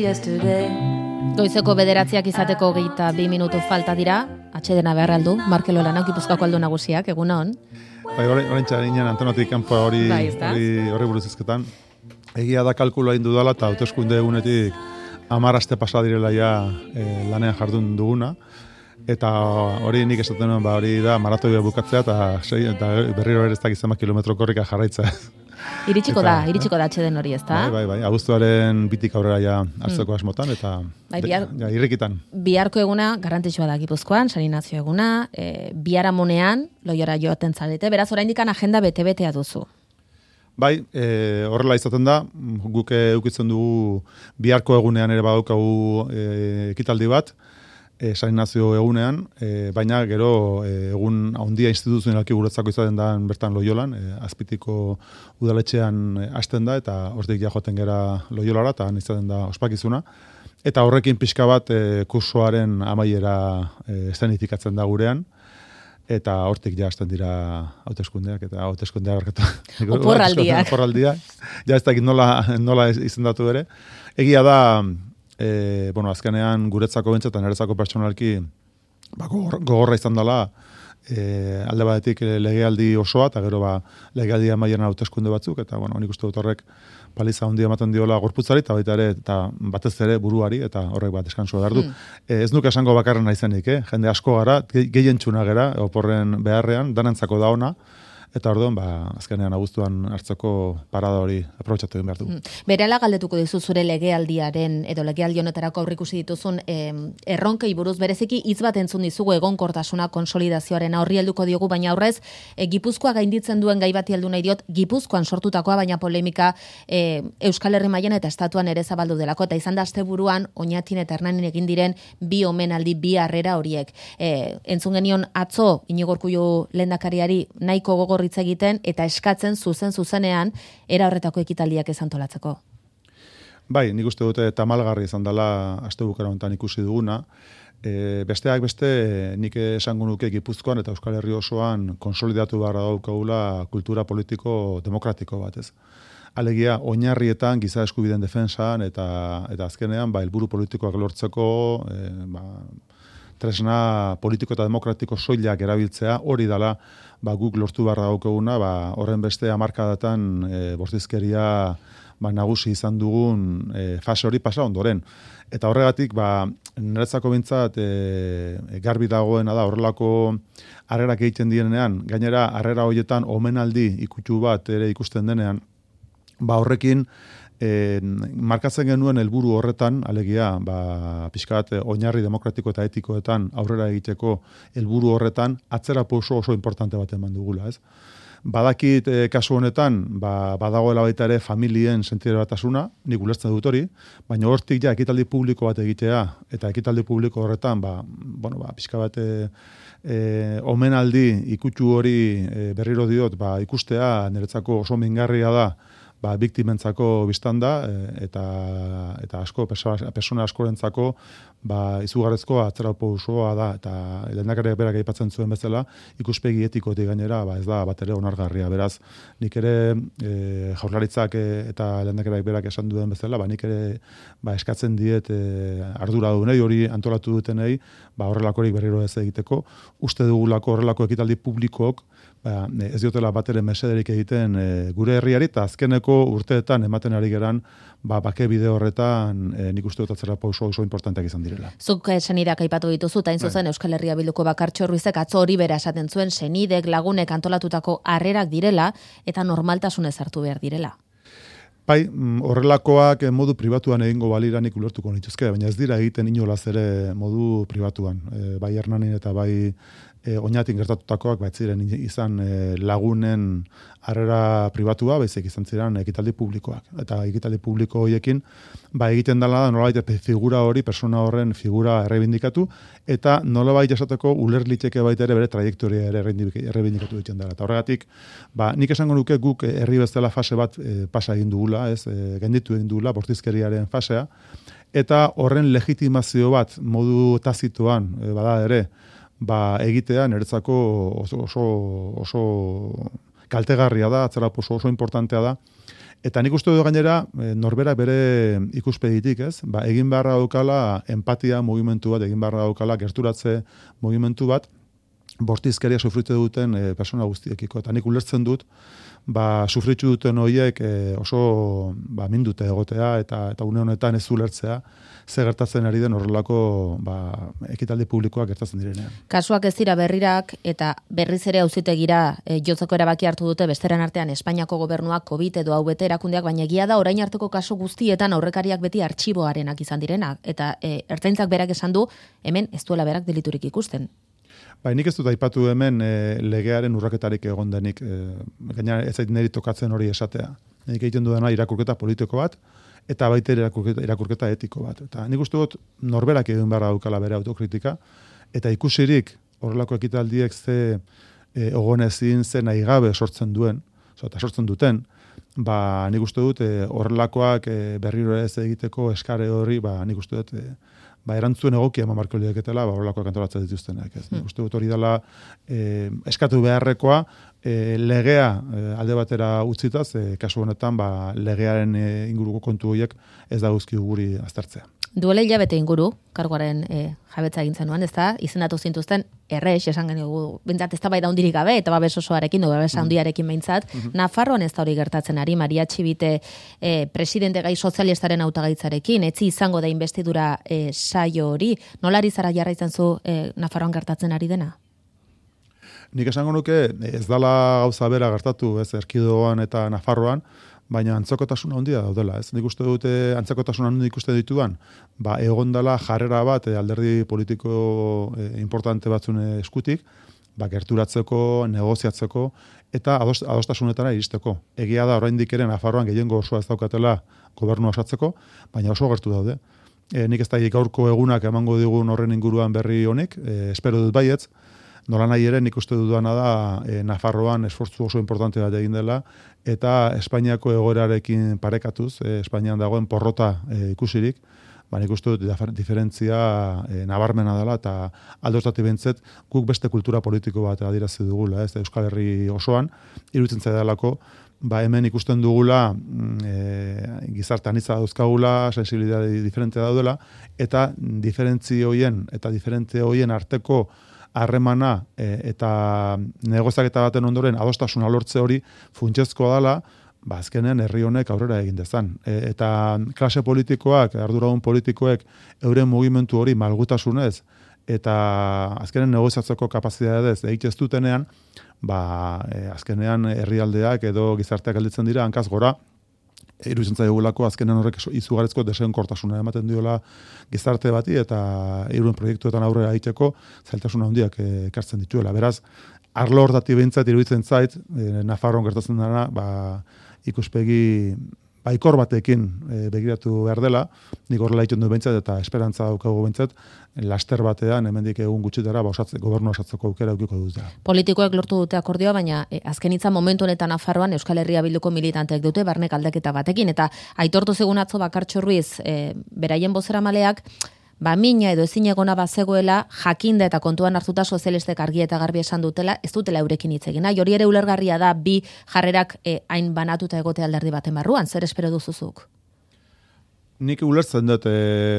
Goizeko 9 izateko 22 minutu falta dira, atxedena behar aldu, Markelo Lanau Gipuzkoako aldu nagusiak, egun hon. Bai, oraintza ginen antenotik kanpo hori buruz hizketan. Egia da kalkulua egin dudala eta hauteskunde egunetik 10 aste pasa direla ja lanean jardun duguna. Eta hori nik esaten nuen, hori da maratoia bukatzea eta berriro ere ez dakit zenbat kilometro korrika jarraitza. Iritsiko da atxeden hori, ezta? Bai, abuztuaren bitik aurrera ja hartzeko asmotan eta irrikitan. Biharko eguna garrantzitsua da Gipuzkoan, San Inazio eguna, biharamunean Loiora joaten zarete, beraz oraindik agenda bete-betea duzu. Bai, horrela izaten da, guk eukitzen dugu biharko egunean ere badaukagu ekitaldi bat, San Inazio egunean, baina gero egun handia instituzionalki guretzako izaten da bertan Loiolan, Azpitiko udaletxean hasten da, eta hortik ja joaten gera Loiolara, eta izaten da ospakizuna. Eta horrekin pixka bat kursoaren amaiera eszenifikatzen da gurean, eta hortik ja hasten dira hauteskundeak eta hauteskundeak oporraldiak. Ja ez dakit nola izendatu ere. Egia da, azkenean guretzako bentsa eta niretzako pertsonalki gogorra izan dela alde batetik legealdi osoa eta gero legealdi amaieran hauteskunde batzuk eta nik uste dut horrek paliza handia ematen diola gorputzari eta baita ere eta batez ere buruari eta horrek bat deskantsua behar du. Ez nuke esango bakarren naizenik, jende asko gara, gehien txuna gara oporren beharrean, danentzako da ona. Eta orduan, azkenean abuztuan hartzeko parada hori aprobetxatu egin behar dugu. Berehala galdetuko dizu zure legealdiaren edo legealdi honetarako aurreikusi dituzun erronkei buruz bereziki hitz bat entzun dizugu egonkortasuna konsolidazioaren horri helduko diogu, baina aurrez Gipuzkoa gainditzen duen gai bati heldu nahi diot, Gipuzkoan sortutakoa baina polemika Euskal Herri mailan eta estatuan ere zabaldu delako eta izan da asteburuan Oñatin eta Hernanin egin diren bi omenaldi, bi harrera horiek. Entzun genion atzo Iñigo Urkullu lehendakariari nahiko gogor hitz egiten eta eskatzen zuzenean era horretako ekitaldiak ez antolatzeko. Bai, nik uste dute tamalgarri izan dela astebukera honetan ikusi duguna. Besteak beste nik esango nuke Gipuzkoan eta Euskal Herri osoan konsolidatu beharra daukagula kultura politiko demokratiko bat, ez. Alegia, oinarrietan giza eskubideen defentsan eta azkenean helburu politikoak lortzeko tresna politiko eta demokratiko soilak erabiltzea, hori dela guk lortu beharra daukaguna, horren beste hamarkadatan bortizkeria nagusi izan dugun fase hori pasa ondoren. Eta horregatik, niretzako bintzat garbi dagoena da horrelako harrerak egiten direnean, gainera harrera horietan omenaldi ikutsu bat ere ikusten denean, horrekin markatzen genuen helburu horretan, alegia, pixkat oinarri demokratiko eta etikoetan aurrera egiteko helburu horretan, atzera pauso oso importante bat eman dugula, ez? Badakit kasu honetan, badagoela baita ere familien sentire batasuna, nik ulertzen dut hori, baina hortik ja ekitaldi publiko bat egitea, eta ekitaldi publiko horretan, pixka bat omenaldi ikutsu hori berriro diot, ikustea niretzako oso mingarria da, biktimentzako biztan da, eta asko, persona askorentzako, izugarrezko atzera pausoa da, eta lehendakariak berak aipatzen zuen bezala, ikuspegi etikotik gainera, ez da bat ere onargarria. Beraz, nik ere jaurlaritzak eta lehendakariak berak esan duen bezala, nik ere eskatzen diet arduradunei, hori antolatu dutenei, horrelakorik berriro ez egiteko, uste dugulako horrelako ekitaldi publikook, ez diotela bat ere mesederik egiten gure herriari, eta azkeneko urteetan ematen ari geran, bake bide horretan nik uste dut atzera pauso oso importanteak izan direla. Zuk senideak aipatu dituzu, eta zuzen Euskal Herria Bilduko Bakartxo Ruizek atzo hori bera esaten zuen senidek lagunek antolatutako harrerak direla, eta normaltasunez hartu behar direla. Bai, horrelakoak modu pribatuan egingo baliranik ulertuko nituzke, baina ez dira egiten inolaz ere modu pribatuan. Bai Hernanin eta bai Oñatin gertatutakoak ziren izan lagunen harrera pribatua, baizik izan ziren ekitaldi publikoak. Eta ekitaldi publiko horiekin, egiten dela da nolabait figura hori, persona horren figura errebindikatu, eta nolabait esateko ulerlitzeke baita ere bere trajektoria ere errebindikatu ditzen dela. Eta horregatik, nik esango nuke guk herri bezala fase bat pasa egin dugula, gainditu egin dugula, bortizkeriaren fasea, eta horren legitimazio bat modu tazituan, bada ere, egitea niretzako oso kaltegarria da, atzera oso importantea da, Eta nik uste dut gainera, norbera bere ikuspegitik, ez? Ba, egin beharra daukala empatia mugimendu bat, egin beharra daukala gerturatze mugimendu bat, bortizkeria sufritu duten persona guztiekiko. Eta nik ulertzen dut, ba, sufritu duten horiek oso ba, mindute egotea eta une honetan ez ulertzea, ze gertatzen ari den horrelako ba, ekitaldi publikoak gertatzen direnean. Kasuak ez dira berrirak eta berriz ere auzitegira jotzeko erabaki hartu dute besteren artean Espainiako gobernuak COVID edo hau bete erakundeak, baina egia da orain arteko kasu guztietan aurrekariak beti artxiboarenak izan direnak eta ertzaintzak berak esan du hemen ez duela berak deliturik ikusten. Bai, nik ez dut aipatu hemen legearen urraketarik egon denik, gainera ez zait niri tokatzen hori esatea. Nik egiten dudana irakurketa politiko bat, eta baita irakurketa etiko bat. Eta nik uste dut norberak egin beharra daukala bere autokritika, eta ikusirik horrelako ekitaldiek ze ogonezin, ze nahi gabe sortzen duen, eta sortzen duten, ba, nik uste dut horrelakoak berriro ez egiteko eskare horri, ba, nik uste dut ba, erantzuen egokia eman barko lieketela, ba, horrelakoak antolatzen dituztenak. Nik uste dut hori dela eskatu beharrekoa, legea alde batera utzitaz, kasu honetan ba, legearen inguruko kontu horiek ez da guzki guri aztertzea. Duela hilabete inguru, karguaren jabetza egin zenuen, ez da, izendatu zintuzten, errex, esan geniogu, bintzat ez da bai da hundirik gabe, eta babes osoarekin, babes handiarekin behintzat, Nafarroan ez da hori gertatzen ari, Maria Txibite presidente gai sozialistaren hautagaitzarekin, etzi izango da investidura saio hori, nolari zara jarraitzen zu Nafarroan gertatzen ari dena? Nik esango nuke ez dala gauza bera gertatu, ez Erkidegoan eta Nafarroan, baina antzekotasuna handia daudela, ez? Nik uste dute antzekotasuna handia ikuste ditudan, ba egon dela jarrera bat alderdi politiko importante batzun eskutik, ba gerturatzeko, negoziatzeko eta adostasunetara iristeko. Egia da oraindik ere Nafarroan gehiengo osoa ez daukatela gobernua osatzeko, baina oso gertu daude. Nik ez da gaurko egunak emango digun horren inguruan berri honik, espero dut baietz. Nola nahi ere, nik uste dudana da Nafarroan esfortzu oso importante bat egin dela, eta Espainiako egoerarekin parekatuz, Espainian dagoen porrota ikusirik, ba, nik uste dut diferentzia nabarmena dela, eta aldoztati bentzet, guk beste kultura politiko bat adirazi dugula, ez Euskal Herri osoan, iruditzen zaidalako, ba, hemen ikusten dugula gizarte anitza dauzkagula, sensibilitate diferente daudela, eta diferentzi hoien arteko harremana eta negoziaketa baten ondoren adostasuna lortze hori funtsezkoa dela, ba azkenean herri honek aurrera egin dezan. Eta klase politikoak, arduradun politikoek euren mugimendu hori malgutasunez eta azkenean negoziatzeko kapazitateez egitez dutenean, ba azkenean herrialdeak edo gizarteak gelditzen dira hankaz gora. Iruditzen zaigulako azkenean horrek izugarrizko desenkortasuna ematen diola gizarte bati eta euren proiektuetan aurrera egiteko zailtasuna handiak ekartzen dituela. Beraz, arlo hortatik behintzat iruditzen zait, Nafarroan gertatzen dena, ba, ikuspegi baikor batekin begiratu behar dela, nik horrela egiten du behintzat eta esperantza daukagu behintzat, laster batean, hemendik egun gutxitara, ba, gobernu osatzeko aukera eukiko dute. Politikoek lortu dute akordioa, baina azken hitza momentu honetan Nafarroan Euskal Herria Bilduko militanteek dute barnek aldaketa batekin, eta aitortu zegun atzo Bakartxo Ruiz, beraien bozeramaleak, ba mina edo ezin egona bazegoela jakinda eta kontuan hartuta sozialistek argi eta garbi esan dutela, ez dutela eurekin hitz egin. Hori ere ulergarria da bi jarrerak hain banatuta egote alderdi baten barruan, zer espero duzuzuk? Nik ulertzen dut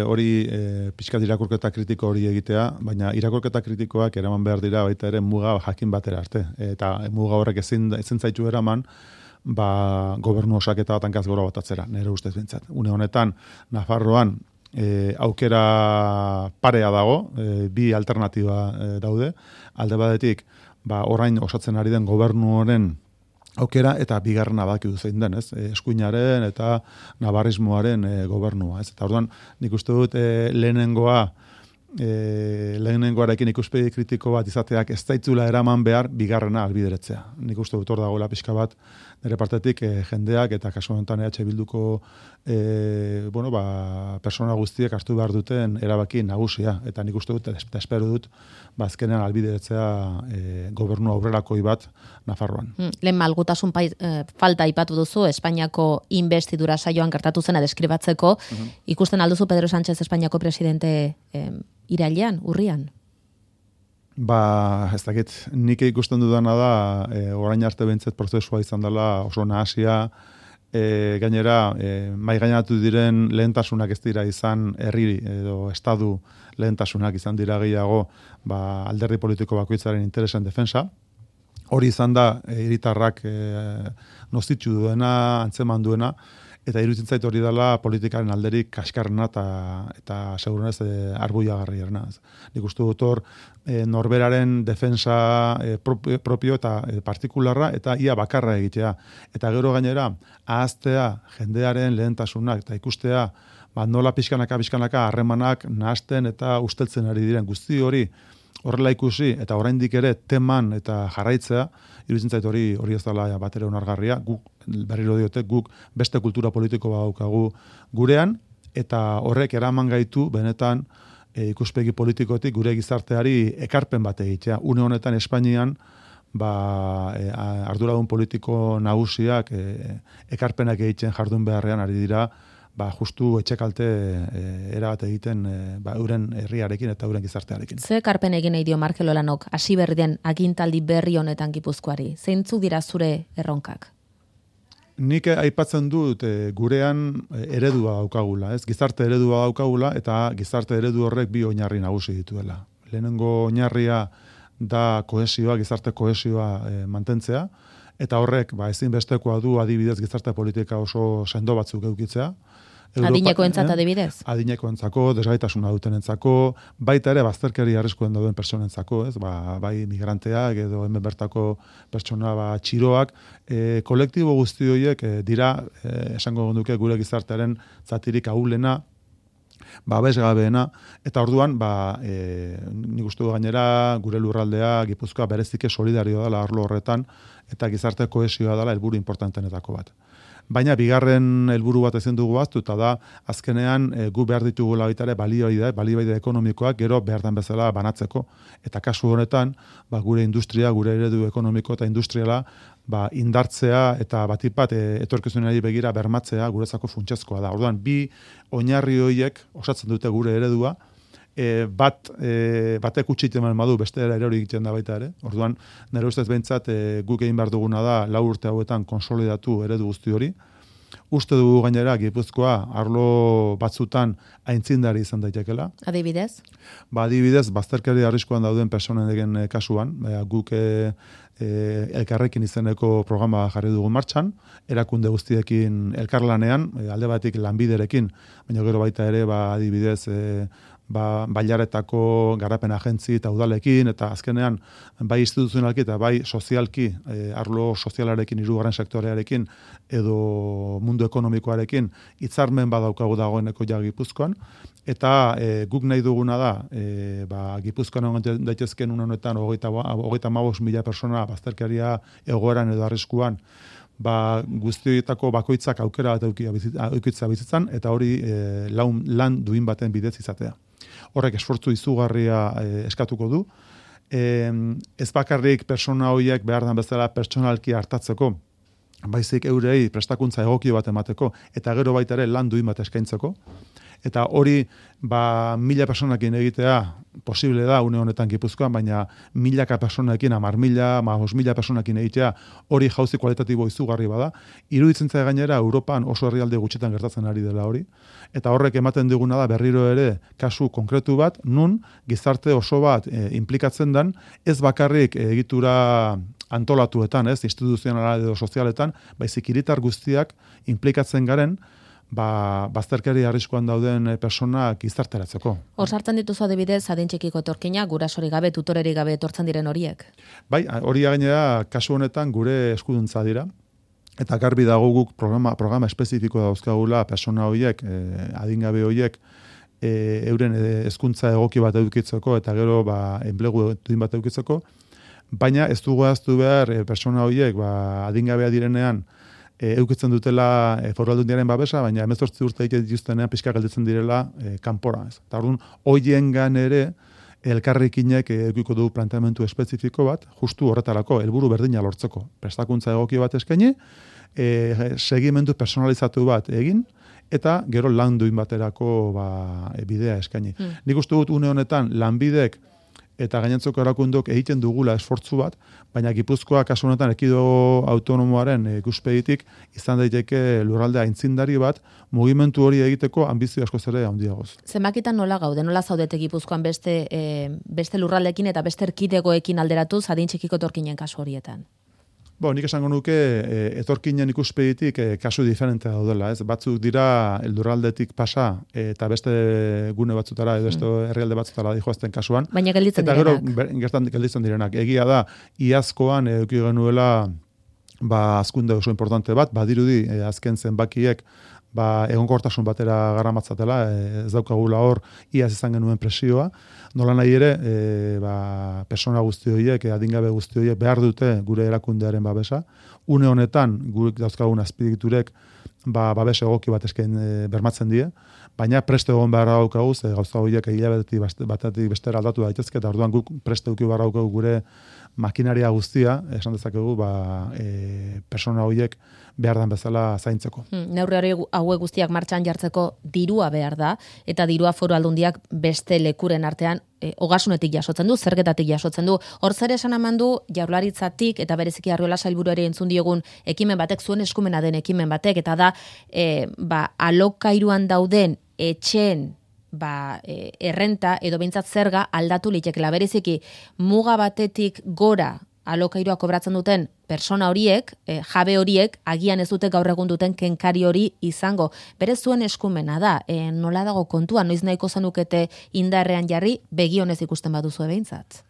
hori pixkat irakurketa kritiko hori egitea, baina irakurketa kritikoak eraman behar dira baita ere muga jakin batera arte. Eta muga horrek ezin zaitu eraman, ba, gobernu osaketa bat hankaz gora batatzera, nire ustez bintzat. Une honetan, Nafarroan, aukera parea dago, bi alternatiba daude. Alde batetik, ba, orain osatzen ari den gobernu honen aukera eta bigarrena badakigu zein den, ez? Eskuinaren eta navarrismoaren gobernua, ez? Eta orduan, nik uste dut lehenengoarekin ikuspegi kritiko bat izateak ez zaitzula eraman behar bigarrena albideretzea. Nik uste dut hor dagoela pixka bat nire partetik jendeak eta kasu honetan EH Bilduko bueno, ba, persona guztiek hartu behar duten erabaki nagusia. Eta nik uste dut, eta espero dut, ba, azkenean albideretzea gobernu aurrerakoi bat Nafarroan. Lehen malgutasun falta aipatu duzu, Espainiako investidura saioan gertatu zena deskribatzeko, ikusten alduzu Pedro Sánchez Espainiako presidente irailean, urrian? Ba, ez dakit, nik ikusten dudana da, orain arte behintzet prozesua izan dela oso nahasia, gainera, mai gainatu diren lehentasunak ez dira izan herri edo estadu lehentasunak izan dira gehiago alderdi politiko bakoitzaren interesen defensa. Hori izan da, hiritarrak nozitzu duena, antzeman duena, eta iruditzen zait hori dela politikaren alderik kaskarrena eta segurenez arbuiagarriena. Nik uste dut hor norberaren defensa propio eta partikularra eta ia bakarra egitea. Eta gero gainera, ahaztea jendearen lehentasunak eta ikustea nola pixkanaka harremanak nahasten eta usteltzen ari diren guzti hori horrela ikusi eta oraindik ere teman eta jarraitzea, iruditzen zait hori ez dela batere onargarria. Guk berriro diote, guk beste kultura politiko badaukagu gurean eta horrek eraman gaitu benetan ikuspegi politikotik gure gizarteari ekarpen bat egitea. Une honetan Espainian arduradun politiko nagusiak ekarpenak egiten jardun beharrean ari dira justu etxekalte erabat egiten euren herriarekin eta euren gizartearekin. Ze ekarpen egin nahi dio Markel Olanok hasi berri den agintaldi berri honetan Gipuzkoari? Zeintzuk dira zure erronkak? Nik aipatzen dut gurean eredua daukagula, ez? Gizarte eredua daukagula eta gizarte eredu horrek bi oinarri nagusi dituela. Lehenengo oinarria da kohesioa, gizarte kohesioa mantentzea, eta horrek ezinbestekoa du adibidez gizarte politika oso sendo batzuk edukitzea. Adinekoentzat adibidez? Adinekoentzako, desgaitasuna dutenentzako, baita ere bazterkeria arriskuen dauden pertsonentzako, ez? Bai migranteak edo hemen bertako pertsona txiroak, kolektibo guzti horiek dira esango duke gure gizartearen zatirik ahulena, babesgabeena, eta orduan nik uste du gainera gure lurraldea Gipuzkoa berezike solidario dela arlo horretan eta gizarte kohesioa dela helburu importantenetako bat. Baina bigarren helburu bat ezin dugu ahaztu eta da azkenean gu behar ditugula baita ere baliabide ekonomikoak gero behar den bezala banatzeko eta kasu honetan gure industria, gure eredu ekonomiko eta industriala indartzea eta batipat etorkizunari begira bermatzea guretzako funtsezkoa da. Orduan bi oinarri horiek osatzen dute gure eredua. Batek utxiten badu beste erori egiten da baita ere. Orduan, nire ustez behintzat guk egin behar duguna da 4 urte hauetan konsolidatu eredu guzti hori. Uste dugu gainera Gipuzkoa arlo batzutan aintzindari izan daitekela. Adibidez? Adibidez, bazterkeria arriskuan dauden personen kasuan, guk elkarrekin izeneko programa jarri dugu martxan, erakunde guztiekin elkarlanean, alde batik lanbiderekin, baina gero baita ere adibidez bailaretako garapen agentzi eta udalekin, eta azkenean bai instituzionalki eta bai sozialki, arlo sozialarekin, hirugarren sektorearekin, edo mundu ekonomikoarekin, hitzarmen badaukagu dagoeneko Gipuzkoan, eta guk nahi duguna da, Gipuzkoan egon daitezken honetan 35.000 persona bazterkeria egoeran edo arriskuan, guzti horietako bakoitzak aukera bat eukitza bizitzan, eta hori lan duin baten bidez izatea. Horrek esfortzu izugarria eskatuko du. Ez bakarrik persona horiek behar den bezala pertsonalki hartatzeko, baizik eurei prestakuntza egokio bat emateko, eta gero baita ere lan duin bat eskaintzeko. Eta hori 1.000 personakin egitea posible da une honetan Gipuzkoan, baina 1.000 personakin, 10.000, 5.000 personakin egitea hori jauzi kualitatibo izugarri bada. Iruditzen zait gainera Europan oso herrialde gutxitan gertatzen ari dela hori. Eta horrek ematen diguna da berriro ere kasu konkretu bat, nun gizarte oso bat implikatzen den, ez bakarrik egitura antolatuetan, instituzionala edo sozialetan, baizik hiritar guztiak implikatzen garen, bazterkeria arriskuan dauden personak gizarteratzeko. Hor sartzen dituzu adibidez adin txikiko etorkina, gurasori gabe, tutoreri gabe etortzen diren horiek? Bai, hori gainera kasu honetan gure eskuduntza dira. Eta garbi dago guk programa espezifiko dauzkagula persona horiek, adingabe horiek, euren hezkuntza egoki bat edukitzeko eta gero enplegu duin bat edukitzeko, baina ez dugu ahaztu behar persona horiek adingabea direnean eukitzen dutela Foru Aldundiaren babesa, baina 18 urte dituztenean pixka gelditzen direla kanpora. Eta orduan, hoiengan ere elkarrekinek edukiko du planteamendu espezifiko bat, justu horretarako, helburu berdina lortzeko. Prestakuntza egoki bat eskaini, segimendu personalizatu bat egin, eta gero lan duin baterako bidea eskaini. Nik uste dut une honetan lanbidek eta gainontzeko erakundok egiten dugula esfortzu bat, baina Gipuzkoa kasu honetan erkidego autonomoaren ikuspegitik izan daiteke lurralde aintzindari bat mugimendu hori egiteko anbizio askoz ere handiagoz. Zenbakitan nola gaude, nola zaudete Gipuzkoan beste lurraldeekin eta beste erkidegoekin alderatuz adin txikiko etorkinen kasu horietan? Nik esango nuke etorkinen ikuspegitik kasu diferente daudela, ez? Batzuk dira lurraldetik pasa eta beste gune batzutara edo beste herrialde batzutara dijoazten kasuan. Baina gelditzen direnak. Eta gero gelditzen direnak. Egia da, iazkoan eduki genuela azkunde oso importante bat, badirudi azken zenbakiek egonkortasun batera garamatzatela, ez daukagula hor iaz izan genuen presioa. Nola nahi ere, persona guzti horiek, adingabe guzti horiek behar dute gure erakundearen babesa. Une honetan, gure dauzkagun azpiegiturek babes egoki bat esken bermatzen die, baina preste egon behar daukagu, gauza horiek hilabetetik batetik bestera aldatu daitezke, eta orduan guk preste eduki behar daukagu gure makinaria guztia, esan dezakegu, persona horiek behar den bezala zaintzeko. Neurri hauek guztiak martxan jartzeko dirua behar da, eta dirua Foru Aldundiak beste lekuren artean ogasunetik jasotzen du, zergetatik jasotzen du. Hor zer esan eman du Jaurlaritzatik eta bereziki Arriola Sailburuari entzun diogun ekimen batek, zuen eskumena den ekimen batek, eta da alokairuan dauden etxeen errenta edo behintzat zerga aldatu litekela. Bereziki muga batetik gora alokairua kobratzen duten persona horiek, jabe horiek, agian ez dute gaur egun duten kenkari hori izango. Berez zuen eskumena da, nola dago kontua, noiz nahiko zenukete indarrean jarri, begionez ikusten baduzu behintzat.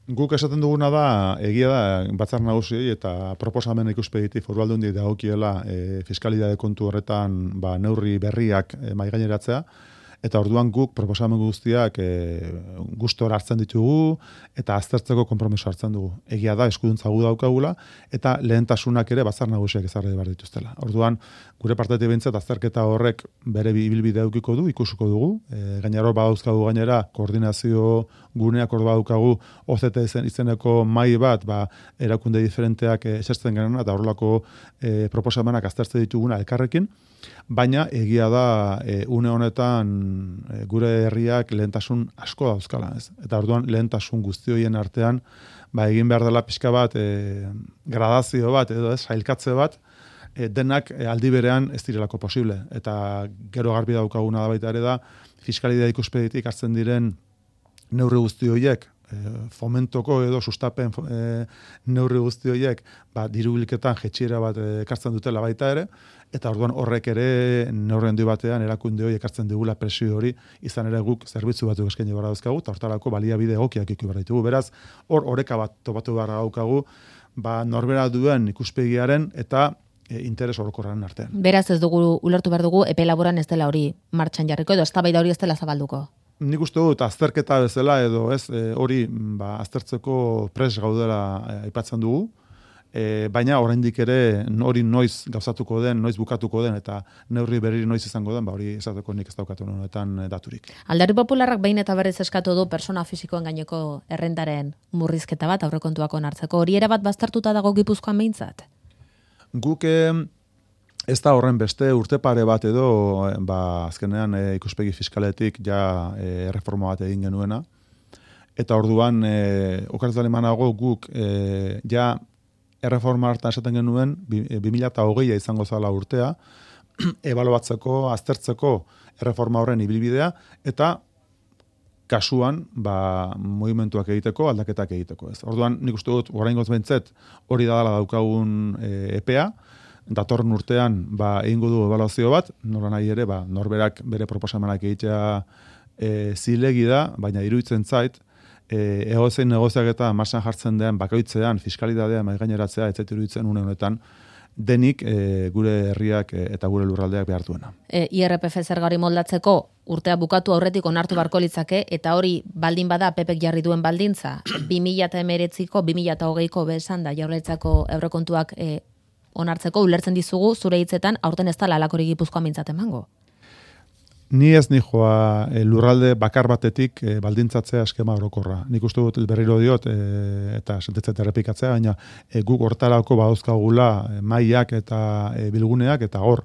Guk esaten duguna da, egia da, Batzar Nagusiei eta proposamen ikuspegitik Foru Aldundiei dagokiela fiskalidade kontu horretan neurri berriak mahaigaineratzea. Eta orduan guk proposamen guztiak gustora hartzen ditugu eta aztertzeko konpromiso hartzen dugu. Egia da, eskuduntza gu daukagula eta lehentasunak ere Batzar Nagusiak ezarri behar dituztela. Orduan, gure partetik behintzat azterketa horrek bere ibilbide edukiko du, ikusuko dugu. Gainera hor badauzkagu gainera koordinazio guneak hor badaukagu OCT izeneko mahai bat, erakunde diferenteak esertzen genuen eta horrelako proposamenak aztertzen dituguna elkarrekin. Baina egia da une honetan gure herriak lehentasun asko dauzkala, ez? Eta orduan lehentasun guzti horien artean egin behar dela pixka bat gradazio bat edo sailkatze bat denak aldi berean ez direlako posible. Eta gero garbi daukaguna da baita ere da fiskalidade ikuspegitik hartzen diren neurri guzti horiek fomentoko edo sustapen neurri guzti horiek diru bilketan jetxiera bat ekartzen dutela baita ere, eta orduan horrek ere neurri handi batean erakunde hori ekartzen digula presio hori, izan ere guk zerbitzu batzuk eskaini behar dauzkagu, eta hortarako baliabide egokiak ikusi behar ditugu. Beraz, hor oreka bat topatu behar daukagu, norbera duen ikuspegiaren eta interes orokorraren artean. Beraz ez dugu ulertu behar dugu epe laboran ez dela hori martxan jarriko edo eztabaida hori ez dela zabalduko. Nik uste dut azterketa bezala edo hori aztertzeko pres gaudela aipatzen dugu, baina oraindik ere hori noiz gauzatuko den, noiz bukatuko den eta neurri berri noiz izango den, hori esateko nik ez daukatu honetan daturik. Alderdi Popularrak behin eta berriz eskatu du persona fisikoen gaineko errentaren murrizketa bat aurrekontuak onartzeko. Hori ere bat baztertuta dago Gipuzkoan behintzat? Guk ez da horren beste urte pare bat edo azkenean ikuspegi fiskaletik reforma bat egin genuena. Eta orduan, okartz alemanago guk erreforma hartan esaten genuen 2020 izango zala urtea, ebaloatzeko, aztertzeko erreforma horren ibilbidea, eta kasuan mugimenduak egiteko, aldaketak egiteko. Orduan, nik uste dut, oraingoz behintzet, hori da daukagun EPEA, datorren urtean egingo du ebaluazio bat, nola nahi ere, norberak bere proposamenak egitea zilegi da, baina iruditzen zait, egozein negoziak eta marsan jartzen den bakoitzean, fiskalidadea mahaigaineratzea, ez zait iruditzen une honetan, denik gure herriak eta gure lurraldeak behar duena. IRPF zerga hori moldatzeko urtea bukatu aurretik onartu barko litzake, eta hori baldin bada PPek jarri duen baldintza, 2019ko, 2020ko besan da Jaurlaritzako aurrekontuak onartzeko ulertzen dizugu zure hitzetan aurten ez da lalakori Gipuzkoan mintzat emango. Ni ez nijoa lurralde bakar batetik baldintzatzea eskema orokorra. Nik uste dut berriro diot eta sentetzet errepikatzea, baina guk hortarako badauzkagula mailak eta bilguneak eta hor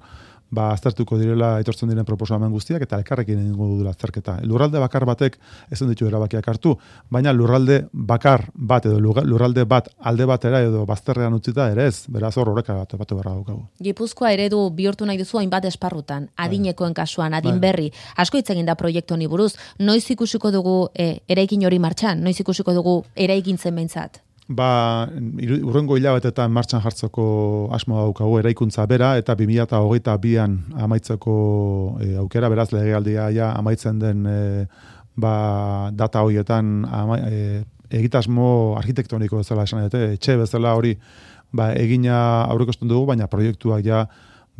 aztertuko direla etortzen diren proposamen guztiak eta elkarrekin egingo dudula azterketa. Lurralde bakar batek ezin ditu erabakiak hartu, baina lurralde bakar bat edo lurralde bat alde batera edo bazterrean utzita ere ez, beraz hor horreka bat beharra daukagu. Gipuzkoa eredu bihurtu nahi duzu hainbat esparrutan, adinekoen kasuan, adin berri, asko hitz egin da proiektu honi buruz, noiz ikusiko dugu eraikin hori martxan, noiz ikusiko dugu eraikintzen behintzat? Urrengo hilabetetan martxan jartzeko asmoa daukagu eraikuntza bera eta 2022an amaitzeko aukera, beraz legealdia ja amaitzen den data horietan egitasmo arkitektoniko bezala esan dute, etxe bezala hori egina aurreikusten dugu, baina proiektuak ja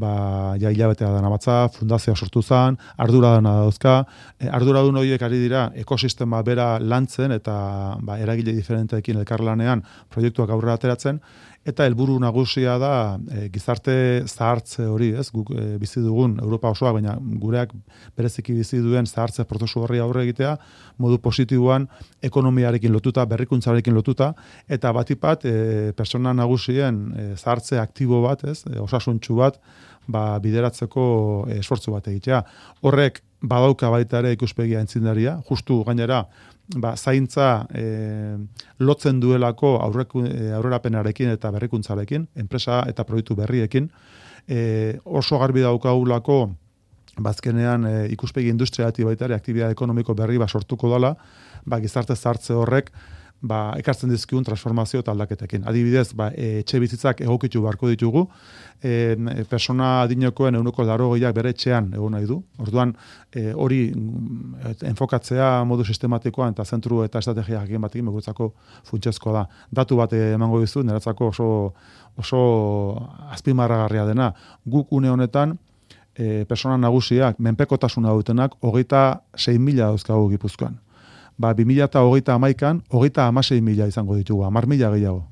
hilabetea dana batza, fundazioa sortu zen, arduraduna dauzka, arduradun horiek ari dira ekosistema bera lantzen eta eragile diferenteekin elkarlanean proiektuak aurrera ateratzen, eta helburu nagusia da gizarte zahartze hori, ez? Guk bizi dugun Europa osoa, baina gureak bereziki bizi duen zahartze prozesu horri aurre egitea, modu positiboan ekonomiarekin lotuta, berrikuntzarekin lotuta, eta batipat pertsona nagusien zahartze aktibo bat, ez? Osasuntsu bat, bideratzeko esfortzu bat egitea. Horrek badauka baita ere ikuspegia aitzindaria, justu gainera zaintza lotzen duelako aurrerapenarekin eta berrikuntzarekin, enpresa eta proiektu berriekin, oso garbi daukagulako bazkenean ikuspegi industrialati baita ere aktibitate ekonomiko berri sortuko dela, gizarte zahartze horrek ekartzen dizkigun transformazio eta aldaketekin. Adibidez, etxe bizitzak egokitu beharko ditugu, persona adinekoen 80%ak bere etxean egon nahi du. Orduan, hori enfokatzea modu sistematikoan eta zentru eta estrategia jakin batekin guretzako funtsezkoa da. Datu bat emango dizu, niretzako oso azpimarragarria dena. Guk une honetan, persona nagusiak, menpekotasuna dutenak, 26.000 dauzkagu Gipuzkoan. 2021an 36.000 izango ditugu, 10.000 gehiago.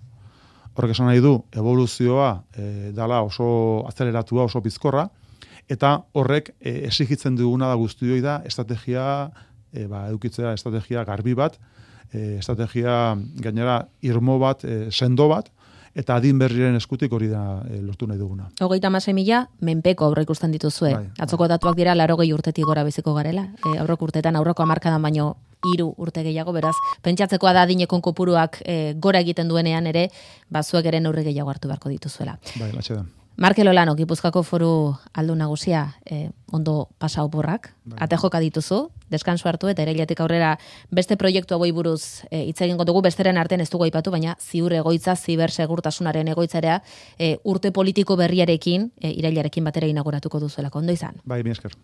Horrek esan nahi du, evoluzioa dala oso azeleratua, oso bizkorra, eta horrek exigitzen duguna da guztioi da estrategia, edukitzea estrategia garbi bat, estrategia gainera irmo bat, sendo bat, eta adin berriren eskutik hori da lortu nahi duguna. 36.000 menpeko aurreikusten dituzue. Atzoko datuak dira 80 urtetik gora biziko garela. Aurreko urtetan, aurreko hamarkadan baino 3 urte gehiago, beraz, pentsatzekoa da adinekon kopuruak gora egiten duenean ere, zuek ere neurri gehiago hartu beharko dituzuela. Latxe da. Markel Olano, Gipuzkoako Foru Aldun Nagusia, ondo pasa oporrak, ate joka dituzu, deskansu hartu eta irailetik aurrera beste proiektu hauei buruz hitz egingo dugu, besteren artean ez dugu aipatu, baina ziur egoitza, zibersegurtasunaren egoitzarea urte politiko berriarekin, irailarekin batera inauguratuko duzuelako, ondo izan. Mila esker.